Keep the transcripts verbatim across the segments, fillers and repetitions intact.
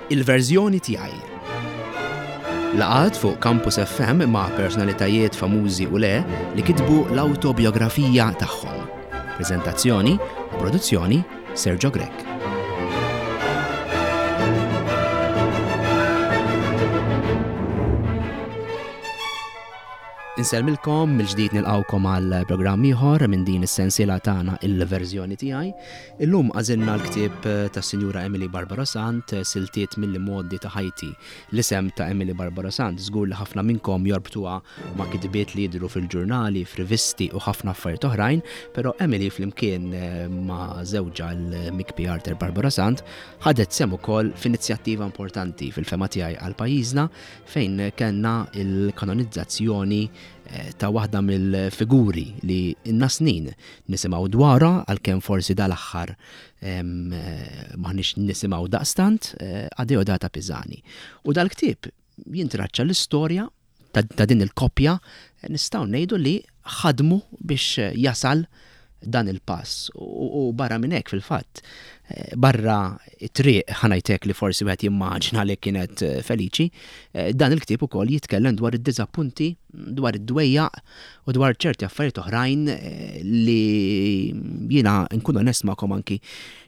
Il-verżjoni tiegħi. Laqgħat fuq Campus F M ma' personalitajiet famużi u le li kitbu l-autobiografija tagħhom. Prezentazzjoni u produzzjoni, Sergio Grech. Insellmilkom mill-ġdid, nilqawkom għal programm ieħor minn din is-sensiela tagħna, Il-verżjoni tiegħi. Illum għażilna l-ktieb tas-Sinjura Emily Barbara Sant, Siltiet mill-Modi ta' Ħajti. L-isem ta' Emily Barbara Sant żgur li ħafna minnkom jorbtuha ma' kitbiet li jidhru fil-ġurnali, f'rivisti u ħafna affarijiet oħrajn, però Emily flimkien eh, ma' żewġha l-Mikpi Arthur Barbara Sant ħadet sehem ukoll f'inizjattiva importanti fil-fehma tiegħi għal pajjiżna, fejn kellna il-kanonizzazzjoni eh, ta' waħda mill-figuri li ilna snin nisimgħu dwarha, għalkemm forsi dal-aħħar eh, m'aħniex nisimgħu daqstant, eh, Adeodata Pisani. U dal-ktieb jintraċċa l-istorja ta', ta din il-koppja, nistgħu ngħidu li ħadmu biex jasal dan il-pass u, u barra minn hekk, fil-fatt, eh, barra it-triq, ħa ngħidlek, li forsi wieħed jimmaġina li kienet eh, feliċi, eh, dan il-ktieb ukoll jitkellem dwar id-diżappunti, dwar id-dwejjaq u dwar ċerti affarijiet oħrajn li jiena, nkun onest magħkom, anki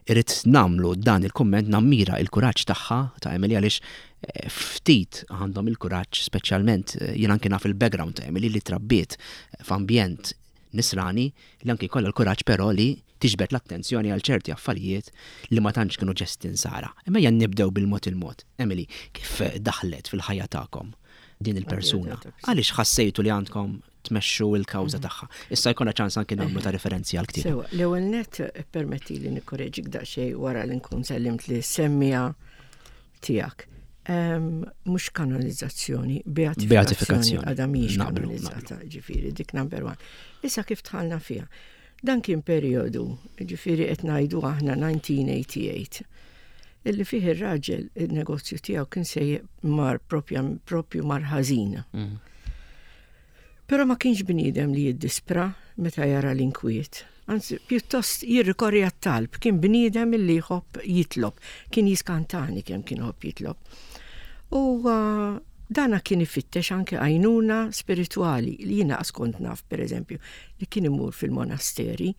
irrid nagħmlu dan il-komment, nammira il-kuraġġ tagħha, ta' Emily, għaliex ftit għandhom il-kuraġġ, speċjalment jiena anki naf il-background ta' Emily li trabbiet f'ambjent nisrani, li anki kollha l-kuraġġ però li tiġbed l-attenzjoni għal ċerti affarijiet li ma tantx kienu ġesti nsara. Imma ejja nibdew bil-mod il-mod. Emily, kif daħlet fil-ħajja tagħkom din il-persuna? Għaliex ħassejtu li għandkom tmexxu il-kawża tagħha? Issa jkollna ċans anki nagħmlu ta' referenzi għal ktieb. Sewa, l-ewwel net permetti li nikkoreġik daqsxejn wara li nkun sellimt lis-semmiegħa tiegħek. Mhux kanonizzazzjoni, beatifikazzjoni. Beatifikazzjoni. Għadha mhijiex Naqblu, kanonizzata, ġifieri, dik number one. Issa, kif dħalna fiha? Dan kien periodu, ġifieri qed ngħidu aħna elf disa' mija u tmienja u tmenin, illi fih ir-raġel il-negozju tiegħu kien se mar propja propju mar ħażin. Mm. Però ma kienx bniedem li jiddispra meta jara l-inkwiet. Anzi, pjuttost jirrikorri għat-talb, kien bniedem li jħobb jitlob, kien jiskantani kemm kien jħobb jitlob. U uh, dana kien ifittex anke għajnuna spirituali li jiena kont naf, per eżempju, li kien imur fil-monasteri,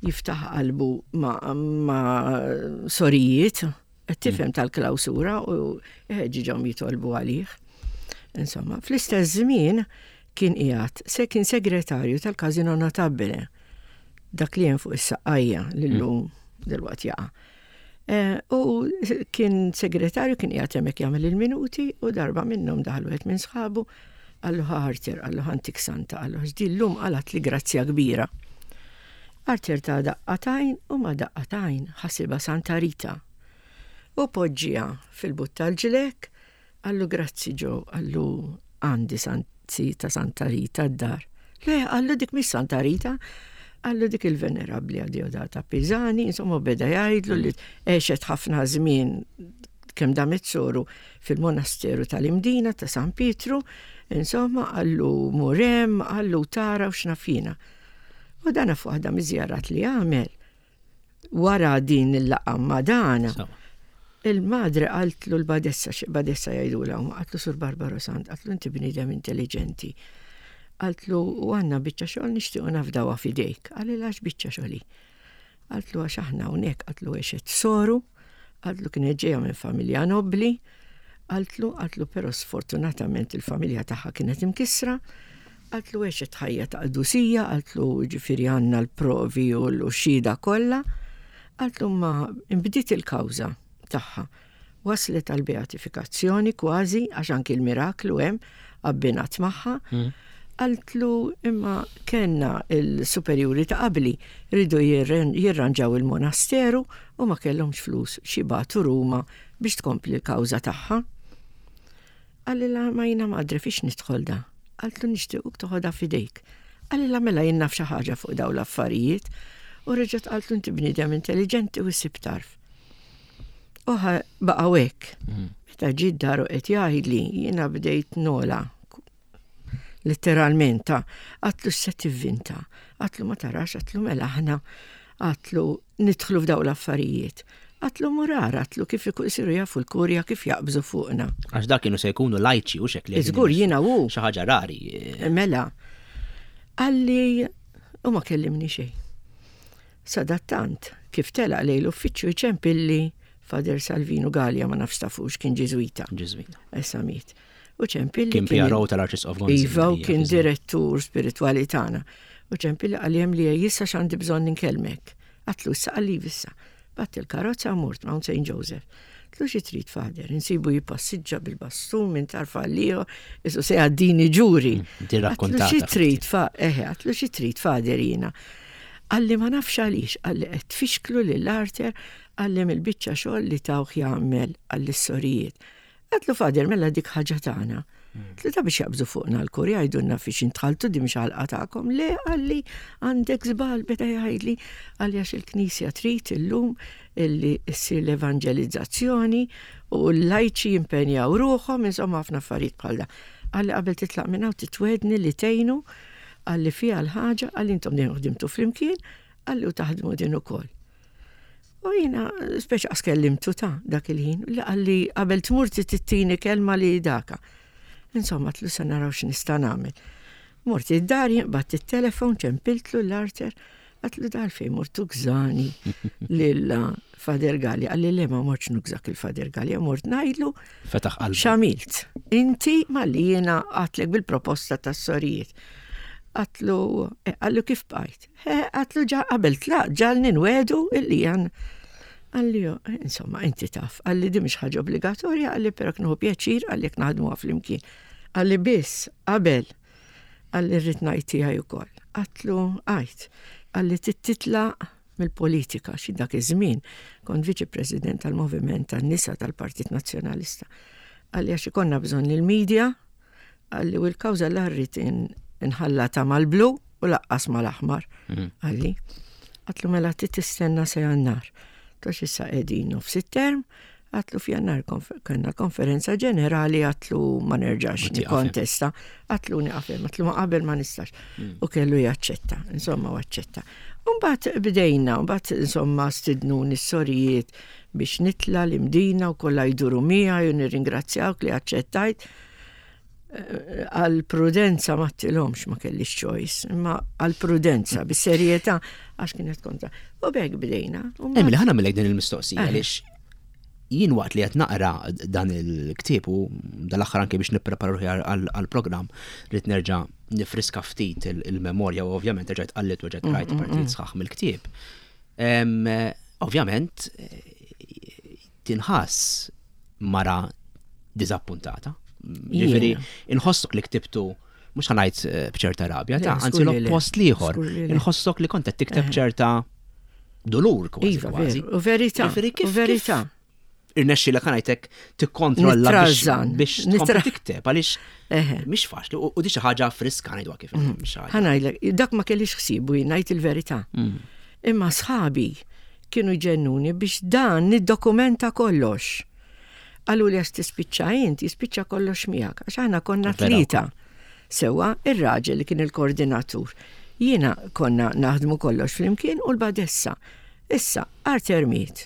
jiftaħ qalbu ma, ma sorijiet, qed tifhem, tal-klawsura, u ħeġġiġhom jitolbu għalih. Insomma, fl-istess żmien kien qiegħed se kien segretarju tal-Casino Notabile, dak li hemm fuq is-Saqqajja li llum delwaqt jaqa'. Eh, U kien segretarju, kien qiegħed hemmhekk jagħmel il-minuti u darba minnhom daħal wieħed minn sħabu, qallu: "Arthur," qallu, "ħa ntik santa," qallu, "llum qalgħetli grazzja kbira." Arthur ta daqqa t'għajn u ma daqqa t'għajn ħasibha Santa Rita. U poġġiha fil-but tal-ġlekk, qallu: "Grazzi Joe," qallu, "għandi santi ta' Santa Rita d-dar." "Le," qallu, "dik mhix Santa Rita," qallu, "dik il-venerabli Adeodata Pisani." Insomma, beda jgħidlu li għexet ħafna żmien, kemm damet soru fil-monasteru tal-Imdina ta' San Pietru, insomma, qallu mur hemm, qallu tara u x'naf jiena. U dana fuq waħda miż-żjarat li għamel wara din il-laqgħa ma' dana, Sewa. il-madre qaltlu, l-badessa, badessa jgħidulha, qaltlu: "Sur Barbaro Sant," qaltlu, "inti bniedem intelligenti." Qaltlu: "U għandna biċċa xogħol nixtiequ nafdawha f'idejk." Qalilha: "X'biċċa xogħol hi?" Qaltlu: "Għax aħna hawnhekk," qaltlu, "għexet soru," qaltlu, "kienet ġejja minn familja nobli," qaltlu, qaltlu "però sfortunatament il-familja tagħha kienet imkissra," qaltlu, "għexet ħajja ta' qdusija," qaltlu, "ġifieri għandna l-provi u l-xhieda kollha," qaltlu, "ma imbdiet il-kawża tagħha. Waslet għal beatifikazzjoni kważi, għax anki l-miraklu hemm abbinat magħha." Mm. Qaltlu: "Imma kellna il-superjuri ta' qabli ridu jirranġaw il-monasteru u ma kellhomx flus x'jibagħtu Ruma biex tkompli l-kawża tagħha." Qalilha: "Ma jiena madre fiex nidħol da?" Qaltlu: "Nixtiequk toħodha f'idejk." Qalilha: "Mela jien naf xi ħaġa fuq dawn l-affarijiet." U reġgħet qaltlu: "Inti bniedem intelligenti u ssib tarf." U baqgħu hekk. Mm. Meta ġie d-dar u qed jgħidli, jiena bdejt nola. Letteralment, ta' għedtlu: "Se tivvinta?" Għedtlu: "Ma tarax," għedtlu, "mela aħna," għedtlu, "nidħlu f'daw l-affarijiet." Għedtlu mur ara, għedtlu kif isiru jafu l-kurja kif jaqbżu fuqna. Għax dak kienu se jkunu lajċi u xek li. Żgur jiena u. Xi ħaġa rari. Mela. Qalli, u ma kellimni xejn. Sadattant, kif telaq lejn l-uffiċċju ċempilli Father Salvino Gallia, ma nafx tafux, kien Ġiżwita. Ġiżwita. Issa miet. U ċempilli. Kien P R O tal-Arċisqof Gonzi. Iva, u kien direttur spiritwali tagħna. U ċempilli qalli hemm li jissa x'għandi bżonn inkellmek. Għedtlu issa, qalli issa. Qbadt il-karozza, mort Mount Saint Joseph. Għedtlu xi trid, Father? Insibu jipassiġġa bil-bastun minn tarf għal qisu se jgħaddini ġuri. Mm, Għedtlu xi trid, fa, eħe, għedtlu xi trid, Father, jiena. Qalli ma nafx għaliex, qalli qed tfixklu lil Arthur, qalli mill-biċċa xogħol li tawh jagħmel għall-sorijiet. Għedtlu Father, mela dik ħaġa tagħna. Għedtlu ta' biex jaqbżu fuqna l-kurja jgħidulna fiex intħaltu, di mhix ħalqa tagħkom. Le, qalli għandek żball, beda jgħidli, qalli għax il-Knisja trid illum illi ssir l-evangelizzazzjoni u l-lajċi jimpenjaw ruħhom, insomma ħafna affarijiet bħal da. Qalli qabel titlaq minn hawn titwegħedni li tgħinu, qalli fiha l-ħaġa, qalli intom din ħdimtu flimkien, qalli u taħdmu din ukoll. U jiena, speċi qas kellimtu ta' dak il-ħin, li qalli qabel tmur tittini kelma li daka. Insomma, għedtlu sa naraw x'nista' nagħmel. Mort id-dar, qbadt it-telefon, ċempiltlu lil Arthur, għedtlu dal fejn mort tużani lil Father Gallia. Qalli le, ma mortx nużak il-Father Gallia, mort ngħidlu. Fetaħ qalbu. X'għamilt? Inti malli jiena għedtlek bil-proposta tas-sorijiet. Għedtlu, eh, qallu kif bqajt? Għedtlu ġa qabel tlaq, ġagħalni nwiegħdu illi jan. Qalli, insomma, inti taf, qalli di mhix ħaġa obbligatorja, qalli però nieħu pjaċir, qalli jekk naħdmu flimkien. Qalli biss, qabel, qalli rrid ngħid tiegħi ukoll. Għedtlu, għid, qalli titlaq mill-politika, xi dak iż-żmien kont viċi president tal-Moviment tan-Nisa tal-Partit Nazzjonalista. Qalli għax ikollna bżonn il-medja, qalli u l-kawża la rrid inħallata mal-blu u lanqas mal-aħmar. Mm. Qalli, għedtlu mela tistenna sa Jannar. Għax issa qegħdin nofs it-term, għedtlu f'Jannar kellna konferenza ġenerali, għedtlu ma nerġax nikkontesta, għedtlu nieqaf hemm, għedtlu ma qabel ma nistax. Mm. U kellu jaċċetta, insomma, u aċċetta. Umbagħad bdejna, umbagħad insomma stidnuni s-sorijiet biex nitla l-Imdina u kollha jduru miegħi u nirringrazzjawk li aċċettajt. Għal prudenza ma għedtilhomx ma kellix choice, imma għal prudenza, bis-serjetà, għax kienet kontra. U b'hekk bdejna. Emily, ħa nagħmillek din il-mistoqsija għaliex jien waqt li qed naqra dan il-ktieb u dal-aħħar anke biex nipprepara ruħi għall-programm rrid nerġa' nifriska ftit il-memorja u ovvjament erġajt qallibt u rġajt rajt partijiet sħaħ mill-ktieb. Ovvjament tinħass mara diżappuntata. Ġifieri, inħossok li ktibtu, mhux ħa ngħid eh, b'ċerta rabja, ta' anzi l-oppost l-ieħor. Inħossok li kont qed tikteb ċerta dolur kważi Iva, kważi. U verità. U verità. Irnexxi li kanajtek tikkontrolla biex tkompli tikteb għaliex mhix faċli u di xi ħaġa friska ngħidwa kif. Mm. Ħa ngħidlek, dak ma kellix ħsiebu ngħid il-verità. Mm. Imma sħabi kienu jġennuni biex dan niddokumenta kollox. Qallu li għax tispiċċa int, jispiċċa kollox miegħek, għax aħna konna tlieta. Sewa, ir-raġel li kien il-koordinatur. Jiena konna naħdmu kollox flimkien u l-badessa. Issa, Arthur miet.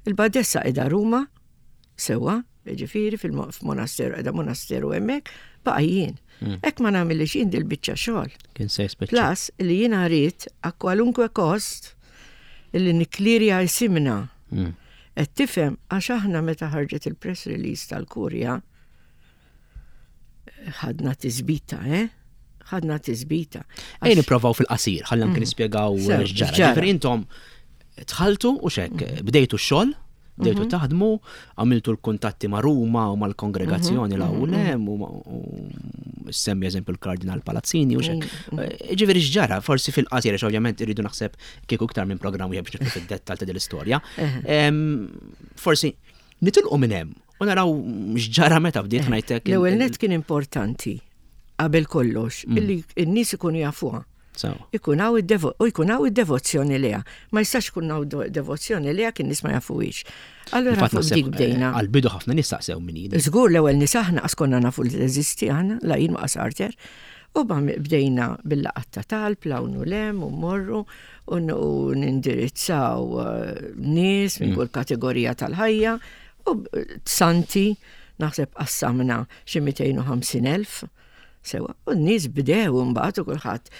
Il-badessa qiegħda Ruma, sewa, ġifieri fil-monasteru, qiegħda monasteru hemmhekk, baqa' jien. Hmm. Jekk ma nagħmilx jien dil-biċċa xogħol. Kien se jispiċċa. Plus li jiena rrid a kwalunkwe kost li nikklirja isimna. Hmm. Qed tifhem, għax aħna meta ħarġet il-press release tal-Kurja ħadna tisbita, eh? Ħadna tisbita. Ejja nipprovaw fil-qasir, ħalli anke mm. nispjegaw x'ġara. Ġifieri intom dħaltu u xek, mm. bdejtu x-xogħol, bdejtu mhm. taħdmu, għamiltu l-kuntatti ma' Ruma u mal-kongregazzjoni mhm, la u mhm, u semmi eżempju l-Kardinal Palazzini u xek. Eh, ġifieri x'ġara, forsi fil-qasir, għax ovvjament irridu naħseb kieku iktar minn programm wieħed biex nidħlu fid-dettal ta' din l-istorja. Forsi nitilqu minn hemm u naraw x'ġara meta bdiet ngħidlek. L-ewwel net kien importanti qabel kollox mm. illi n-nies ikunu jafuha. Ikun hawn u jkun hawn id-devozzjoni lejha. Ma jistax ikun hawn devozzjoni lejha kien nies ma jafuhiex. Allura fuq dik bdejna. Għal-bidu ħafna nies saqsew min hi. Żgur, l-ewwel nies aħna qas konna nafu li teżisti aħna, la jien ma Arthur. U bdejna bil-laqgħat ta' talb, 'l hawn u 'l hemm, u morru, u nindirizzaw eh, nies minn mm. kull kategorija tal-ħajja, u santi, naħseb qassamna xi mitejn u ħamsin elf, sewa, u n-nies bdew mbagħad u kulħadd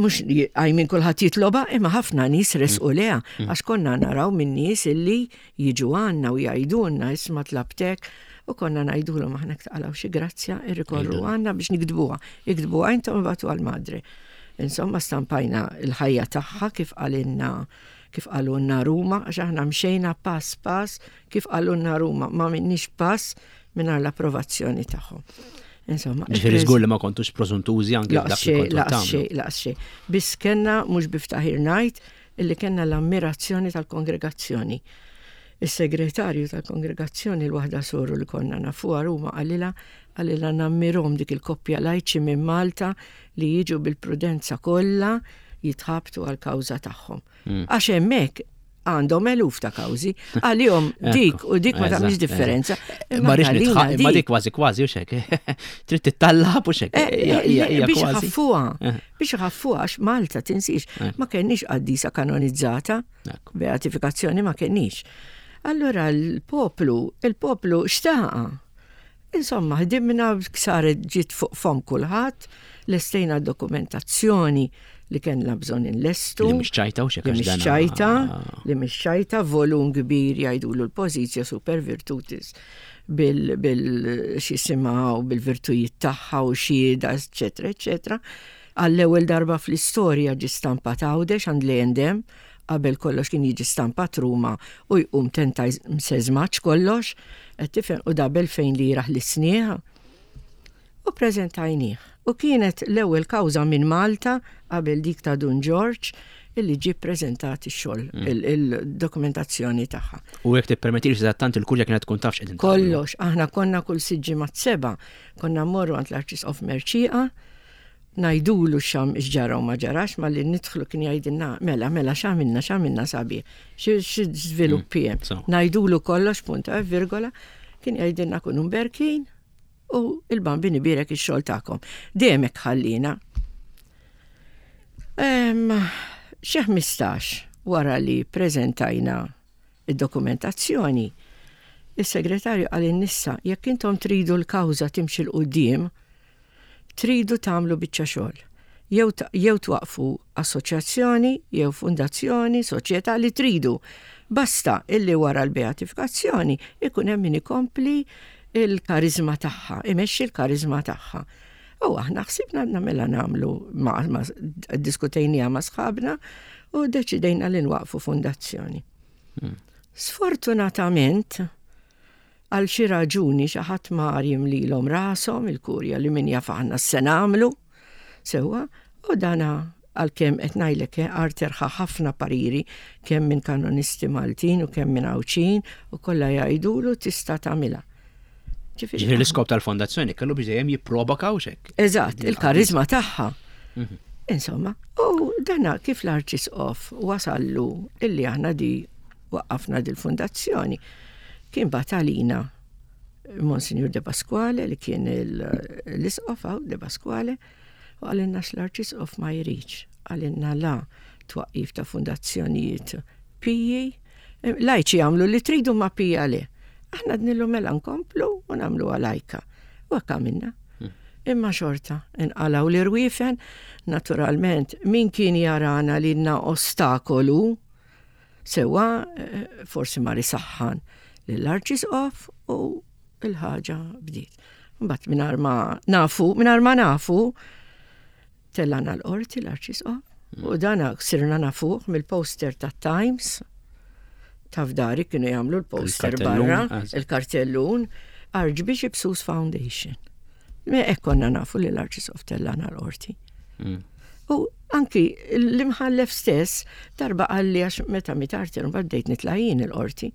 mhux għajmin kulħadd jitloba, imma ħafna nies resqu mm. leha, mm. għax konna naraw minn nies illi jiġu għandna u jgħidulna, "Isma', tlabtek," u konna ngħidulhom aħna taqalgħu xi grazzja irrikorru għandna biex niktbuha. Iktbuha intom, ibagħtu għall-Madre. Insomma, stampajna il-ħajja tagħha kif qalilna, kif qalulna Ruma, għax aħna mxejna pass pass kif qalulna Ruma, ma minnix pass mingħajr l-approvazzjoni tagħhom. Insomma, ġifieri żgur li ma kontux prożuntużi anke dak li kontu tagħmlu. Laqas xejn. Biss kellna, mhux bi ftaħir ngħid, illi kellna l-ammirazzjoni tal-kongregazzjoni. Is-segretarju tal-kongregazzjoni, l-waħda soru li konna nafuha Ruma, qalilha qalilha "Nammirahom dik il-koppja lajċi minn Malta li jiġu bil-prudenza kollha jitħabtu għal-kawża tagħhom." Mm. Għax hemmhekk għandhom eluf ta' kawżi, għalihom dik u dik ma tagħmilx differenza. Ma rix ma dik kważi kważi u xek. Trid tittallab u xek. Eh, eh, biex ħaffuha, eh. biex ħaffuha għax Malta, tinsix, ma kenniex qaddisa kanonizzata, beatifikazzjoni ma kenniex. Allora l-poplu, il-poplu xtaqa. Insomma, ħdimna, saret ġiet fuq fom kulħadd, lestejna dokumentazzjoni li kellna bżonn inlestu. Li mhix ċajta u xek. Li mhix ċajta, li mhix ċajta, volum kbir jgħidulu l-Positio super virtutis bil, bil x'jisimha u bil-virtujiet tagħha u xhieda, eċetera, eċetera. Għall-ewwel darba fl-istorja ġi stampat Għawdex għand l-A and M, qabel kollox kien jiġi stampat Ruma u jqum tenta mseżmaċ kollox, qed tifhem, u dabel fejn li jiraħ l-isnieħ. U preżentajnieh. U kienet l-ewwel kawża minn Malta qabel dik ta' Dun George illi ġie preżentat ix-xogħol, mm. il-dokumentazzjoni tagħha. U jekk tippermettili, tant il-kurja kienet tkun taf x'qegħdin Kollox, aħna konna kull sitt ġimgħat, seba', konna mmorru għand l-Arċisqof Mercieca, ngħidulu xam x'ġara u ma ġarax, ma li nidħlu kien jgħidilna, "Mela, mela, x'għamilna, x'għamilna sabiħ, xi żviluppi hemm?" Mm, ngħidulu kollox, punta virgola, kien jgħidilna, "Kunu mberkin u il-Bambin ibierek ix-xogħol tagħkom." Dejjem hekk ħallina. Xi ħmistax wara li preżentajna id-dokumentazzjoni, il-segretarju qalilna, "Issa, jekk intom tridu l-kawża timxi 'l quddiem, tridu tagħmlu biċċa xogħol. Jew jew twaqfu assoċjazzjoni, jew fundazzjoni, soċjetà, li tridu. Basta illi wara l-beatifikazzjoni ikun hemm min ikompli il-karizma tagħha, imexxi l-karizma tagħha." U aħna ħsibna mela nagħmlu ma, ma diskutejnija ma' sħabna u deċidejna li nwaqfu fundazzjoni. Hmm. Sfortunatament, għal xi raġuni xi ħadd mar jimlilhom rashom il-kurja li min jaf aħna se nagħmlu sewwa, u dana għalkemm qed ngħidlek eh, Arthur ħa ħafna pariri kemm minn kanonisti Maltin u kemm minn Għawdxin u kollha jgħidulu tista' tagħmilha. Ġifieri l-iskop tal-fondazzjoni kellu biex dejjem jipproba kawxek. Eżatt, il-karizma tagħha. Mhm. Insomma, u dana kif l-Arċisqof wasallu illi aħna di waqqafna dil-fondazzjoni, kien bagħat għalina Monsignor De Pasquale li kien l-isqof De Pasquale u qalilna l-Arċisqof ma jridx, qalilna la twaqqif ta' fundazzjonijiet piji, lajċi għamlu li tridu ma pija le. Aħna għednielu mela nkomplu u nagħmlu lajka. U hekk għamilna. Hmm. Imma xorta, inqalgħu l-irwifen, naturalment, min kien jarana li ostakolu, sewa, eh, forsi mar isaħħan l-Arċisqof u il-ħaġa bdiet. Mbagħad mingħajr ma nafu, mingħajr ma nafu, tellana l-qorti l-Arċisqof mm. u dana sirna nafuh mill-poster ta' Times, taf dari kienu jagħmlu l-poster barra, il-kartellun, Archbishop Seuss Foundation. Me konna nafu li l-Arċisqof tellana l-qorti. Mm. U anki l-imħallef stess darba qalli, għax meta miet Arthur bdejt nitla' jien il-qorti.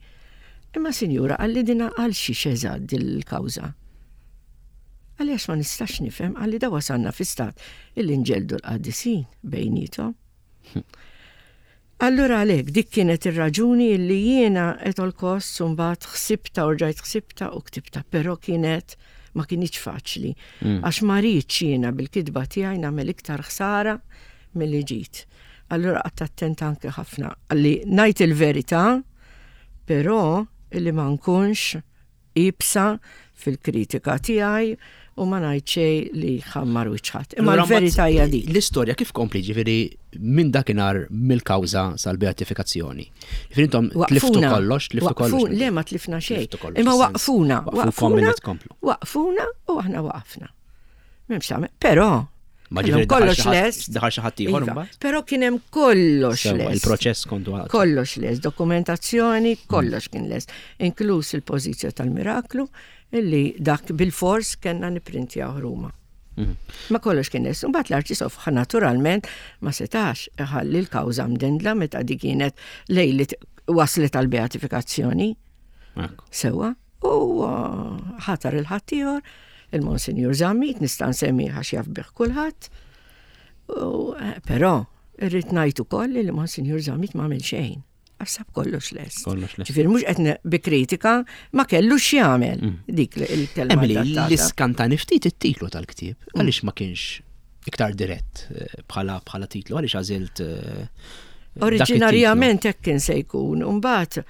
"Imma sinjura," qalli, "dina għal xiex eżatt dil-kawża?" Qalli, "għax ma nistax nifhem," qalli, "da wasalna fi stat illi nġeldu l-qaddisin bejnietom." Allura għalek, dik kienet ir-raġuni illi jiena at all costs mbagħad ħsibta u rġajt ħsibta u ktibta, però kienet Ma kinitx faċli. Mm. Għax ma rridx jiena bil-kitba tiegħi nagħmel iktar ħsara milli ġid. Allura qgħadt attenta anke ħafna għalli ngħid il-verità, però illi ma nkunx iebsa fil-kritika tiegħi u ma ngħid xejn li ħammar wiċċ ħadd. Imma l-verità hija dik. L-istorja kif kompli, ġifieri minn dakinhar mill-kawża sal-beatifikazzjoni? Ġifieri intom tliftu kollox, tliftu kollox. Le, ma tlifna xejn. Imma waqfuna, waqfuna, waqfuna u aħna waqafna. M'hemmx tagħmel. Però Ma ġifieri kollox lest. Daħal xi ħadd ieħor Iva, imbagħad? Però kien hemm kollox Sewwa, lest. il-proċess kontu għal. Kollox lest, dokumentazzjoni, kollox kien lest, inkluż il-pożizzjoni tal-miraklu, illi dak bil-fors kellna niprintjaw Ruma. Mhm. Ma kollox kien lest. Mbagħad l-Arċisqof naturalment ma setax iħalli l-kawża mdendla meta dik kienet lejlit waslet għal beatifikazzjoni. Ekku. Sewwa, u uh, ħatar il-ħaddieħor, il-Monsinjur Zammit, nista' nsemmi għax jaf bih kulħadd. U, eh, Però irrid ngħid ukoll li l-Monsinjur Zammit ma għamel xejn. Għax sab kollox lest. Kollox lest. Ġifieri mhux qed ne- bi kritika ma kellu x'jagħmel dik li- il-kelma Emily, adattata. l-iskantani ftit it-titlu tal-ktieb, għaliex ma kienx iktar dirett eh, bħala bħala titlu, għaliex għażilt eh, dak it-titlu? Oriġinarjament hekk kien se jkun, u mbagħad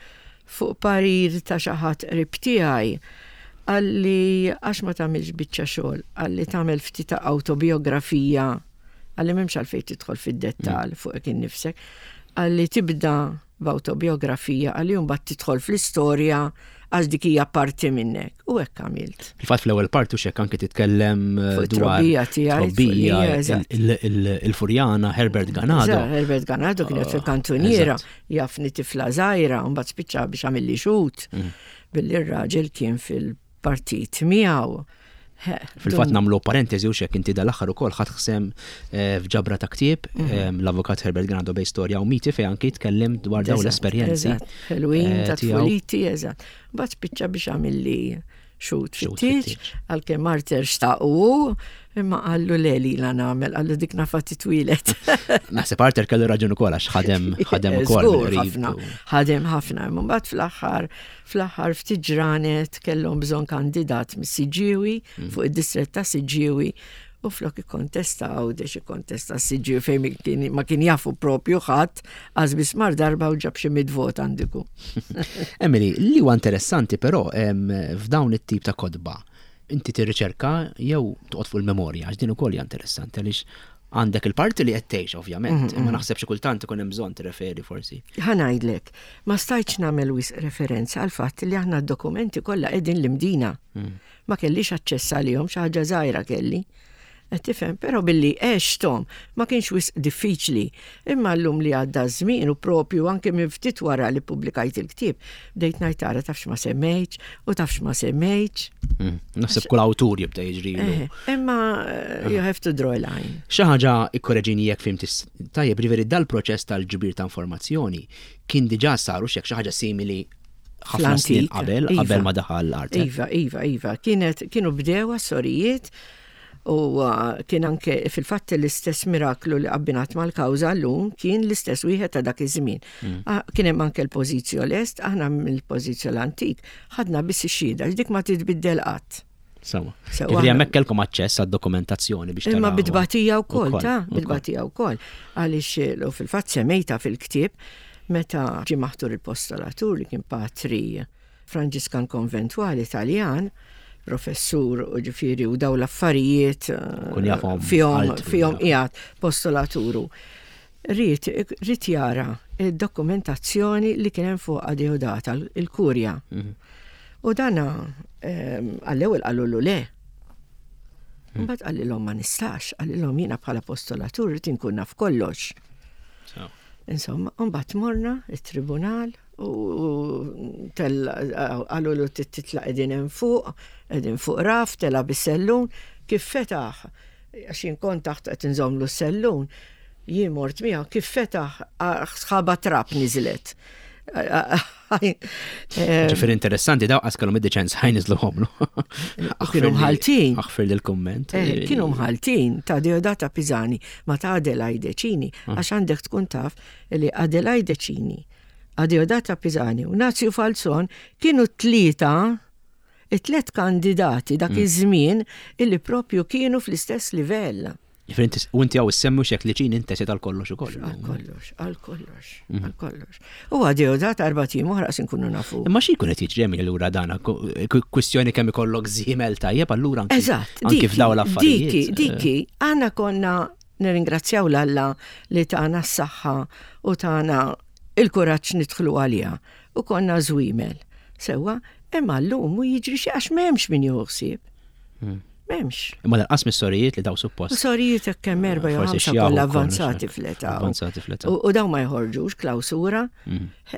fuq parir ta' xi ħadd qrib tiegħi għalli għax ma tagħmilx biċċa xogħol, għalli tagħmel ftit ta' autobiografija, għalli m'hemmx għalfejn tidħol fid-dettall fuq hekk innifsek, għalli tibda b'autobiografija, għalli mbagħad tidħol fl-istorja għax dik hija parti minnek. U hekk għamilt. Fil-fatt fl-ewwel parti u xek anke titkellem eh, Fuq dwar it-trobbija tiegħi, trobbija, fuq- eżatt. il- il- il-Furjana, Herbert Ganado. Eżatt, Herbert Ganado kienet fil-kantuniera, eżatt. jafni tifla żgħira, u mbagħad spiċċa biex għamilli xhud. Billi r-raġel kien fil-partit miegħu. He, Fil-fatt dum- nagħmlu parentesi u xek inti dal-aħħar ukoll ħadt sehem eh, f'ġabra ta' ktieb Mhm. eh, l-avukat Herbert Ganado bejn storja u miti fejn anki jitkellem dwar dawn Eżatt, l-esperjenzi. Eżatt, ħelwin eh, ta' tiegħu. tfuliti, eżatt. Mbagħad spiċċa biex għamilli xhud Xhud fit-tieġ, fit-tieġ. għalkemm Arthur xtaqu, imma qallu le li la nagħmel, qallu dik nafa titwieled. Naħseb Arthur kellu raġun ukoll għax ħadem ħadem ukoll Żgur mill-qrib ħafna, u- ħadem ħafna. Imma mbagħad fl-aħħar fl-aħħar ftit ġranet kellhom bżonn kandidat mis-Siġġiewi Mm. fuq id-distrett ta' Siġġiewi u flok ikkontesta Għawdex ikkontesta Siġġiewi fejn mi kien- ma kien jafu propju ħadd għax biss mar darba u ġab xi mitt vot għandiku. Emily, li huwa interessanti però em, f'dawn it-tip ta' kotba, inti tirriċerka jew toqgħod fuq il-memorja, għax din ukoll hija interessanti għaliex għandek il-parti li qed tgħix ovvjament, imma naħseb xi kultant ikun hemm bżonn tirreferi forsi. Ħa ngħidlek, ma stajtx nagħmel wisq referenza għal fatt li aħna d-dokumenti kollha qegħdin l-Imdina. Ma kellix aċċess għalihom, xi ħaġa żgħira kelli. Qed tifhem, però billi għexthom ma kienx wisq diffiċli. Imma llum li għadda żmien u propju anke minn ftit wara li pubblikajt il-ktieb, bdejt ngħid tara tafx ma semmejtx u tafx ma semmejtx. Mm, Naħseb kull awtur jibda jiġrilu. Eh, Imma eh, you have to draw a line. Xi ħaġa ikkoreġini jekk fhimt tajjeb, ġifieri dal-proċess tal-ġbir ta' informazzjoni kien diġà saru xek xi ħaġa simili ħafna snin Fl-antik, qabel, iva. qabel ma daħal l-art. Iva, iva, iva. Kienet, kienu bdew sorijiet u uh, kien anke fil-fatt l-istess miraklu li abbinat mal-kawża llum kien l-istess wieħed ta' dak iż-żmien. Ah, Kien hemm anke l-pożizzjo lest, aħna mill-pożizzjo l-antik ħadna biss ix-xhieda, dik ma titbiddel qatt. Sewwa. Sewwa. Ġifieri hemmhekk kellkom aċċess għad-dokumentazzjoni biex Imma taraw. bit-tbatija wkoll, Ukoll, ta' ukoll. bit-tbatija wkoll. Għaliex eh, u fil-fatt semmejta fil-ktieb meta ġie maħtur il-postolatur li kien patri Franġiskan konventwali Italjan, professur u ġifieri u daw l-affarijiet eh, Kun jafhom fihom altru, fihom jafhom. qiegħed postolaturu. Ried ried jara id-dokumentazzjoni li kien hemm fuq Adeodata, il-kurja. Mhm. U dana ehm, għall-ewwel qalulu le. Mbagħad qalilhom ma nistax, qalilhom jiena bħala postolatur rrid inkun naf kollox. Sewwa. Insomma, mbagħad morna it-tribunal u qalu lu titla' qegħdin hemm fuq, qegħdin fuq raf, tela' bis-sellun, kif fetaħ, għax jien kont taħt qed inżommlu s-sellun, jien mort miegħu, kif fetaħ sħaba trab niżlet. Ġifieri interessanti daw qas kellhom id-deċenza ħa jniżżluhomlu. Kienu mħaltin. Aħfir l-kumment. Eh, kienu mħaltin ta' Deodata Pisani ma ta' Adelaide Cini, għax għandek tkun taf li Adelaide Cini, Adeodata Pisani u Nazju Falzon kienu tlieta It-tlet kandidati dak iż-żmien illi propju kienu fl-istess livell. U inti hawn issemmi xek li ċin inti għal kollox ukoll. Għal kollox, għal kollox, għal kollox. U għadew dat erbat ijiem oħra nkunu nafu. Imma xi jkun qed jiġri minn allura dana kwistjoni kemm ikollok żiemel tajjeb allura anki. Eżatt, anki f'dawn l-affarijiet. Diki, diki, aħna konna nirringrazzjaw l-Alla li tana s-saħħa u tana il-kuraġġ nidħlu għaliha u konna żwiemel. Sewwa, imma llum u jiġri xi għax m'hemmx min jieħu ħsieb. M'hemmx. Imma lanqas mis-sorijiet li daw suppost. Sorijiet hekk kemm erba' jew Forsi ħamsa xjaħu kollha wkoll, avvanzati xek. fl-età. Avvanzati fl-età. U u daw ma jħorġux klawsura,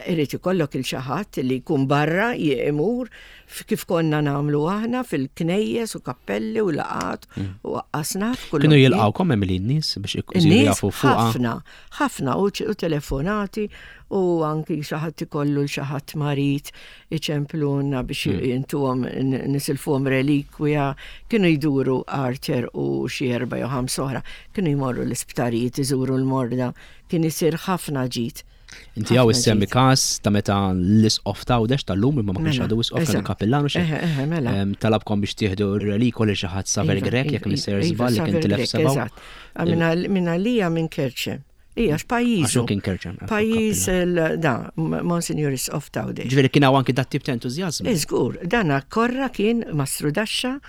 irid ikollok il xi ħadd li jkun barra imur kif konna nagħmlu aħna fil-knejjes u kappelli u laqat u għaqqasna f'kull Kienu jilqawkom hemm li n-nies biex isiru In-nies jafu fuqha. ħafna, ħafna u ċ- u telefonati u anki xi ħadd ikollu l xi ħadd marid iċempluna biex jintuhom nisilfuhom relikwija, kienu jduru Arthur u xi erba' jew ħamsa oħra, kienu jmorru l-isptarijiet iżuru l-morda, kien isir ħafna ġid. Inti hawn Ħafna issemmi ġid. każ ta' meta l-isqof t'Għawdex tal-lum imma ma kienx Mela, għadu isqof kienu eżatt. kapillanu xi. Eħe, eħe, mela. Em, Talabkom biex tieħdu relikwa li xi ħadd Saver Iva, Grech jekk iva, mister iva, żball li kien Saver tilef Grech, sebgħu. eżatt. Ah, Minna minna lija minn Kerċem. Ija, Għax x'pajjiżu. hu kien Kerċem. ecco, Pajjiż kappillan. il- da, Monsignor Isqof t'Għawdex. Ġifieri kien hawn anki dat tip ta' entużjażmu. Iżgur, dana korra kien mastru daxxa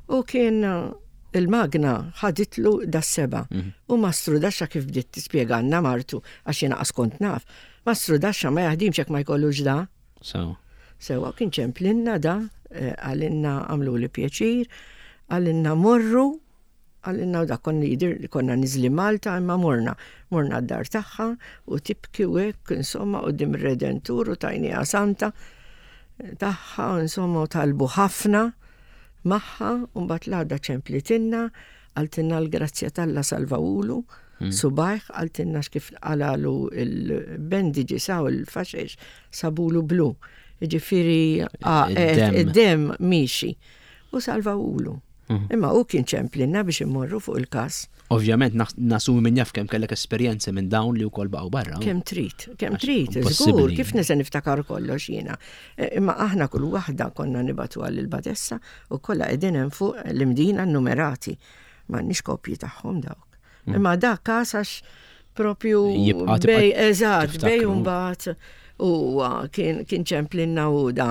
u kien uh, il-magna ħaditlu da seba. U mastru daxxa kif bdiet tispjegalna martu għax jiena qas kont naf. Mastru daxxa ma jaħdimx jekk ma jkollux da. So, Sewa kien ċemplinna da, eh, għalinna għamlu li pjaċir, għalinna morru, għalinna u da konna jidir, konna nizli Malta, imma morna. Morna d-dar tagħha u tibki u hekk, insomma, u dim redentur u tajnija santa tagħha, insomma, u talbu ħafna magħha, u mbagħad l-għada ċemplitinna, għaltinna l-grazzja t'Alla salvawulu, subajh, għaltinna x'kif għalalu il-bendigi saw il-faxex, sabulu blu. Ġifiri, Id-dem. id-dem miexi. U salvawulu. Imma u kien ċemplinna biex immorru fuq il-kas. Ovvjament nas- nasumi minn jaf kemm kellek esperjenzi minn dawn li wkoll baqgħu barra. Kemm trid, kemm Għax trid, żgur, impossibbli. kif nista' niftakar kollox jiena. E, Imma aħna kull waħda konna nibatu għal il-badessa u kollha qegħdin hemm fuq l-imdina numerati. M'għandniex kopji tagħhom dawk. Imma dak każ għax propju Jibqa' tibqa' bej, eżatt, bej tiftakru. mbagħad u kien kien ċemplinna u da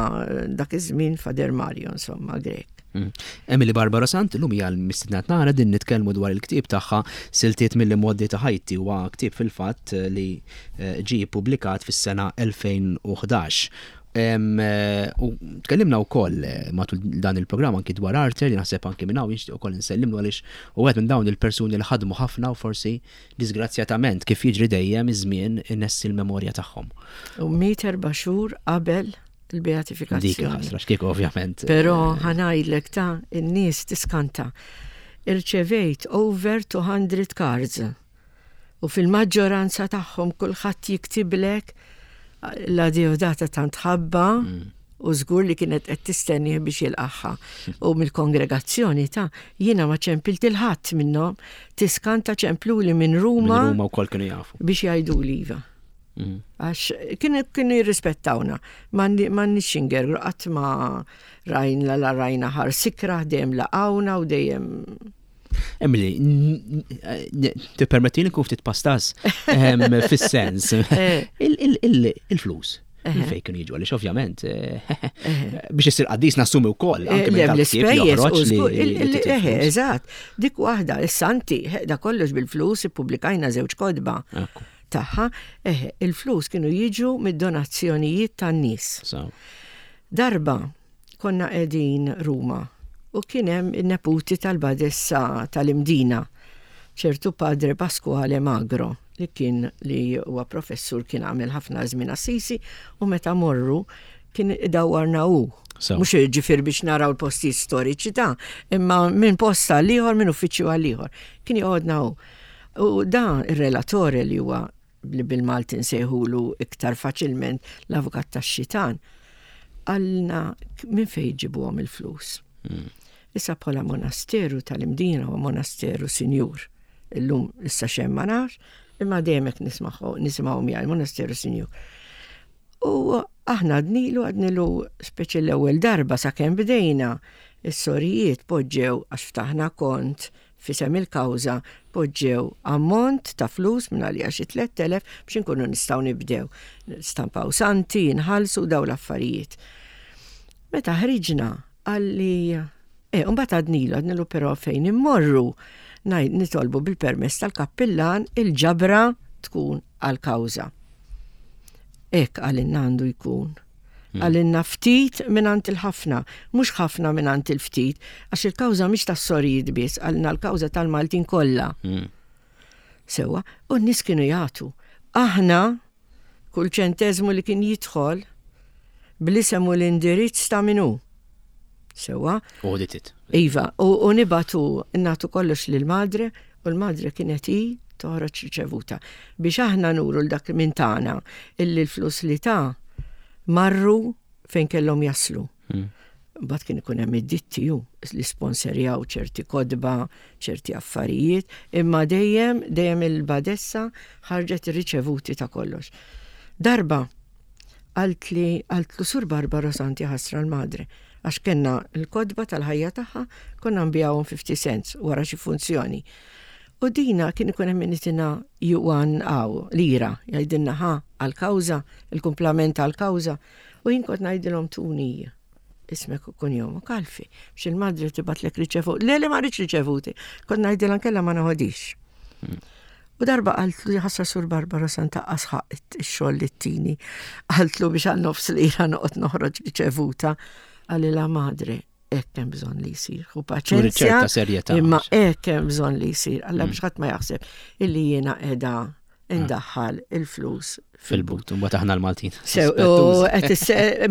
dak iż-żmien Fader Mario insomma Grek. Mm. Emily Barbara Sant, illum hija l-mistedna tagħna din nitkellmu dwar il-ktieb tagħha Siltiet mill-Imgħoddi ta' Ħajti huwa ktieb fil-fatt li eh, ġie ppubblikat fis-sena elfejn u ħdax. Em, eh, U tkellimna wkoll eh, matul dan il-programm anki dwar Arthur li naħseb anki minn hawn nixtieq ukoll insellimlu għaliex u wieħed minn dawn il-persuni li ħadmu ħafna u forsi disgrazzjatament kif jiġri dejjem iż-żmien inessi l-memorja tagħhom. U miet erba' xhur qabel Dik il-beatifikazzjoni. ħasra x'kieku ovvjament. Però ħa ngħidlek ta' in-nies tiskanta. Irċevejt over two hundred cards. U fil-maġġoranza tagħhom kulħadd jiktiblek la Deodata tant ħabba u żgur li kienet qed tistenni biex jilqaħħa. U mill-kongregazzjoni ta' jiena ma ċempilt il-ħadd minnhom, tiskanta ċempluli minn Ruma Minn Ruma wkoll kienu jafu. biex jgħidu li iva. Mm. Għax kienu kienu jirrispettawna, ma nix ingergru, qatt ma rajna la rajna ħar sikra, dejjem laqawna u dejjem. Emily, n- n- tippermettili nkun ftit pastas em, fis-sens. Eh. Il- il- il- Il-flus. Fejn kienu jiġu għaliex ovvjament eh, biex issir qaddis nassumi wkoll anke Eh, minn le, dal-ktieb l-ispejjeż joħroġ u li- żgur, li il- il- titflus. eħe, eżatt, dik waħda, is-santi, eh, da kollox bil-flus, ippubblikajna żewġ kotba Ekku, tagħha, eħe, il-flus kienu jiġu mid-donazzjonijiet tan-nies. so. Darba konna qegħdin Ruma u kien hemm in-neputi tal-badessa tal-Imdina, ċertu Padre Pasquale Magro, li kien li huwa professur kien għamel ħafna żmien Assisi u meta morru kien idawwarna hu. So. Mhux ġifier biex naraw l-postijiet storiċi ta' imma minn post għal ieħor, minn uffiċċju għal ieħor. Kien joqgħodna hu. U dan ir-relatore li huwa li bil-Malti nsejħulu iktar faċilment l-avukat tax-xitan, għalna minn fejn ġibuhom il-flus. Issa bħala monasteru tal-Imdina u monasteru sinjur. Illum issa xem ma nafx, imma dejjem hekk nismaħu nisimgħu miegħi monasteru sinjur. U aħna għednilu, għednilu speċi l-ewwel darba sakemm bdejna, is-sorijiet poġġew, għax ftaħna kont f'isem il-kawża, poġġew ammont ta' flus minn għalija xi tlett elef biex inkunu nistgħu nibdew. Stampaw santi, nħallsu daw l-affarijiet. Meta ħriġna għalli, eh, mbagħad għednilu, għednilu però fejn immorru nitolbu bil-permess tal-kappillan il-ġabra tkun għal-kawża. Hekk qalilna għandu jkun. Hmm. Qalilna ftit mingħand il-ħafna, mhux ħafna mingħand il-ftit, għax il-kawża mhix tas-sorijiet biss, qalilna l-kawża tal-Maltin kollha. Hmm. Sewa, u n-nies kienu jagħtu. Aħna, kull ċentezmu li kien jidħol, bl-isem u l-indirizz ta' min hu. Sewa. Audited. Iva, u, u nibagħtu nagħtu kollox lil-madre, u l-madre kienet i toħroġ riċevuta. Biex aħna nuru 'l dak minn tagħna illi l-flus li ta marru fejn kellhom jaslu. Hmm. Mbagħad kien ikun hemm id-ditti ju li sponsorjaw ċerti kotba, ċerti affarijiet, imma dejjem dejjem il-badessa ħarġet ir-riċevuti ta' kollox. Darba qaltli qaltlu Sur Barbara Santi, ħasra l-madre, għax kellna l-kotba tal-ħajja tagħha, konna nbigħuhom fifty cents wara xi funzjoni. U dina kien ikun hemm min itina juan għaw, lira, jgħidilna ħa għal-kawża, il-kumplament għal-kawża. U jien kont ngħidilhom tuni ismek u kunjomok għalfejn, biex il-madre tibgħatlek riċevuti. Le, le, ma rridx riċevuti. Kont ngħidilha nkella ma noħodix. U darba qaltlu, ħasra Sur Barbara Santa asħaq ix-xogħol li tini. Qaltlu biex għal nofs lira noqgħod noħroġ riċevuta. Qalilha, madre, hekk hemm bżonn li jsir. U paċenzja. Imma hekk hemm bżonn li jsir. Alla biex ħadd ma jaħseb illi jiena qiegħda indaħħal il-flus fil-but, u aħna l-Maltin.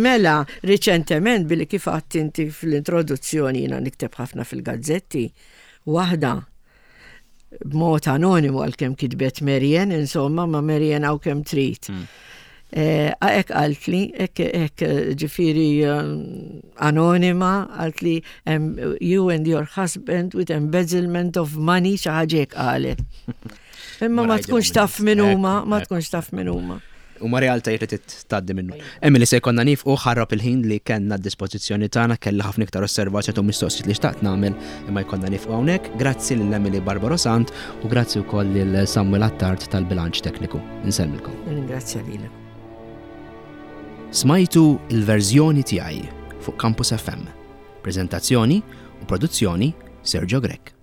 Mela, riċentement, billi kif għedt inti fl-introduzzjoni jiena nikteb ħafna fil-gazzetti, waħda b'mod anonimu għalkemm kitbet Marian, insomma, ma Marian għaw kemm trid. Mm. Hekk qaltli, hekk ġifieri anonima, qaltli "You and your husband with embezzlement of money", xi ħaġa qalet. Imma ma tkunx taf min huma, ma tkunx taf min huma. U ma realtajiet li tgħaddi minnu. Emily, se jkollna nieqfu, ħarab il-ħin li kellna d-dispożizzjoni tagħna, kelli ħafna iktar osservazzjoni u mistoqsijiet li xtaqt nagħmel, imma jkollna nieqfu hawnhekk. Grazzi lil Emily Barbaro Sant u grazzi wkoll lil Samuel Attard tal-bilanċ tekniku. Insellmilkom. Ringrazzja lilek. Smajtu Il-verżjoni tiegħi fuq Campus F M. Prezentazzjoni u produzzjoni Sergio Grech.